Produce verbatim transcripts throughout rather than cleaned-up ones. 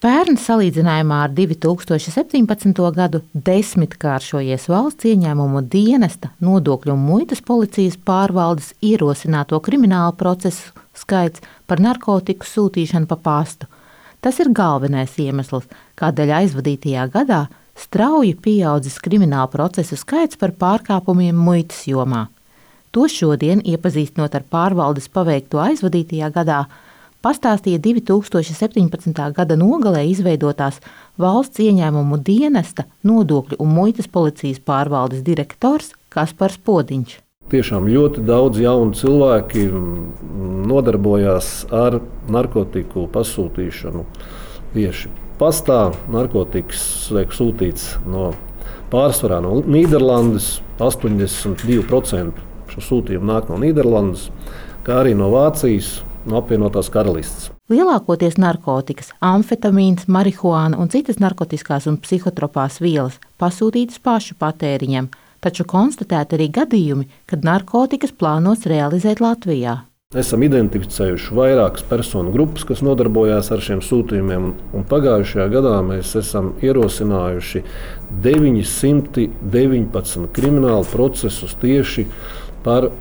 Pērn salīdzinājumā ar divi tūkstoši septiņpadsmito gadu desmitkāršojies valsts ieņēmumu dienesta, nodokļu un muitas policijas pārvaldes ierosināto kriminālu procesu skaits par narkotiku sūtīšanu pa pastu. Tas ir galvenais iemesls, kādēļ aizvadītajā gadā strauji pieaudzis kriminālu procesu skaits par pārkāpumiem muitas jomā. To šodien, iepazīstinot ar pārvaldes paveikto aizvadītajā gadā, pastāstīja divi tūkstoši septiņpadsmitā gada nogalē izveidotās valsts ieņēmumu dienesta, nodokļu un muitas policijas pārvaldes direktors Kaspars Podiņš. Tiešām ļoti daudz jaunu cilvēki nodarbojās ar narkotiku pasūtīšanu tieši pastā. Narkotikas tiek sūtīts no pārsvarā no Nīderlandes, astoņdesmit divi procenti šo sūtījumu nāk no Nīderlandes, kā arī no Vācijas, no apvienotās karalistes. Lielākoties narkotikas, amfetamīns, marihuāna un citas narkotiskās un psihotropās vielas pasūtītas pašu patēriņam, taču konstatēti arī gadījumi, kad narkotikas plānots realizēt Latvijā. Esam identificējuši vairākas personu grupas, kas nodarbojās ar šiem sūtījumiem, un pagājušajā gadā mēs esam ierosinājuši deviņsimt deviņpadsmit kriminālu procesus tieši par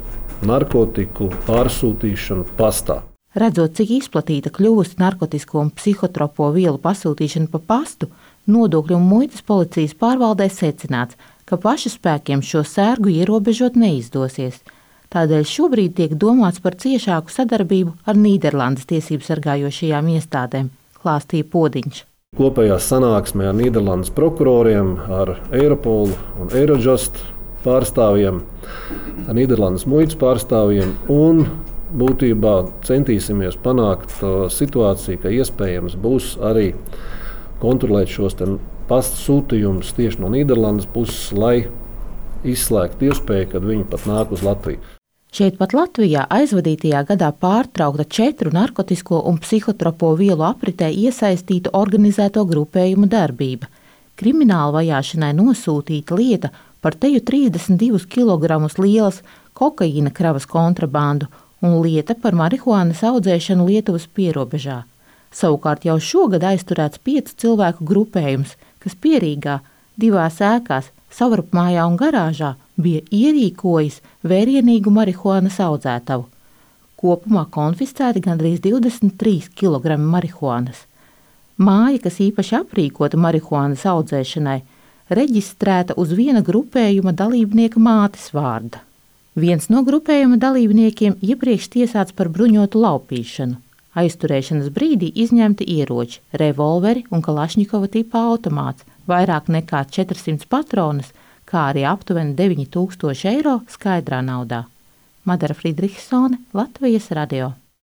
narkotiku pārsūtīšanu pastā. Redzot, cik izplatīta kļuvusi narkotisko un psihotropo vielu pasūtīšana pa pastu, nodokļu un muitas policijas pārvaldē secināts, ka pašu spēkiem šo sērgu ierobežot neizdosies. Tādēļ šobrīd tiek domāts par ciešāku sadarbību ar Nīderlandes tiesību sargājošajām iestādēm, klāstīja Podiņš. Kopējā sanāksmē ar Nīderlandes prokuroriem, ar Eiropolu un Eirojust pārstāvjiem, ar Nīderlandes muitas pārstāvjiem un būtībā centīsimies panākt situāciju, ka iespējams būs arī kontrolēt šos pasta sūtījumus tieši no Nīderlandes puses, lai izslēgtu iespēju, kad viņi pat nāk uz Latviju. Šeit pat Latvijā aizvadītajā gadā pārtraukta četru narkotisko un psihotropo vielu apritē iesaistītu organizēto grupējumu darbība. Krimināla vajāšanai nosūtīta lieta par teju trīsdesmit divus kilogramus lielas kokaīna kravas kontrabandu un lieta par marihuānas audzēšanu Lietuvas pierobežā. Savukārt jau šogad aizturēts piecu cilvēku grupējums, kas Pierīgā divās ēkās, savrupmājā un garāžā bija ierīkojis vērienīgu marihuānas audzētavu. Kopumā konfiscēti gandrīz divdesmit trīs kilogrami marihuānas. Māja, kas īpaši aprīkota marihuānas audzēšanai, reģistrēta uz viena grupējuma dalībnieka mātes vārda. Viens no grupējuma dalībniekiem iepriekš tiesāts par bruņotu laupīšanu. Aizturēšanas brīdī izņemti ieroči, revolveri un kalašņikova tipa automāts, vairāk nekā četrsimt patronas, kā arī aptuveni deviņi tūkstoši eiro skaidrā naudā. Madara Friedrichsone, Latvijas radio.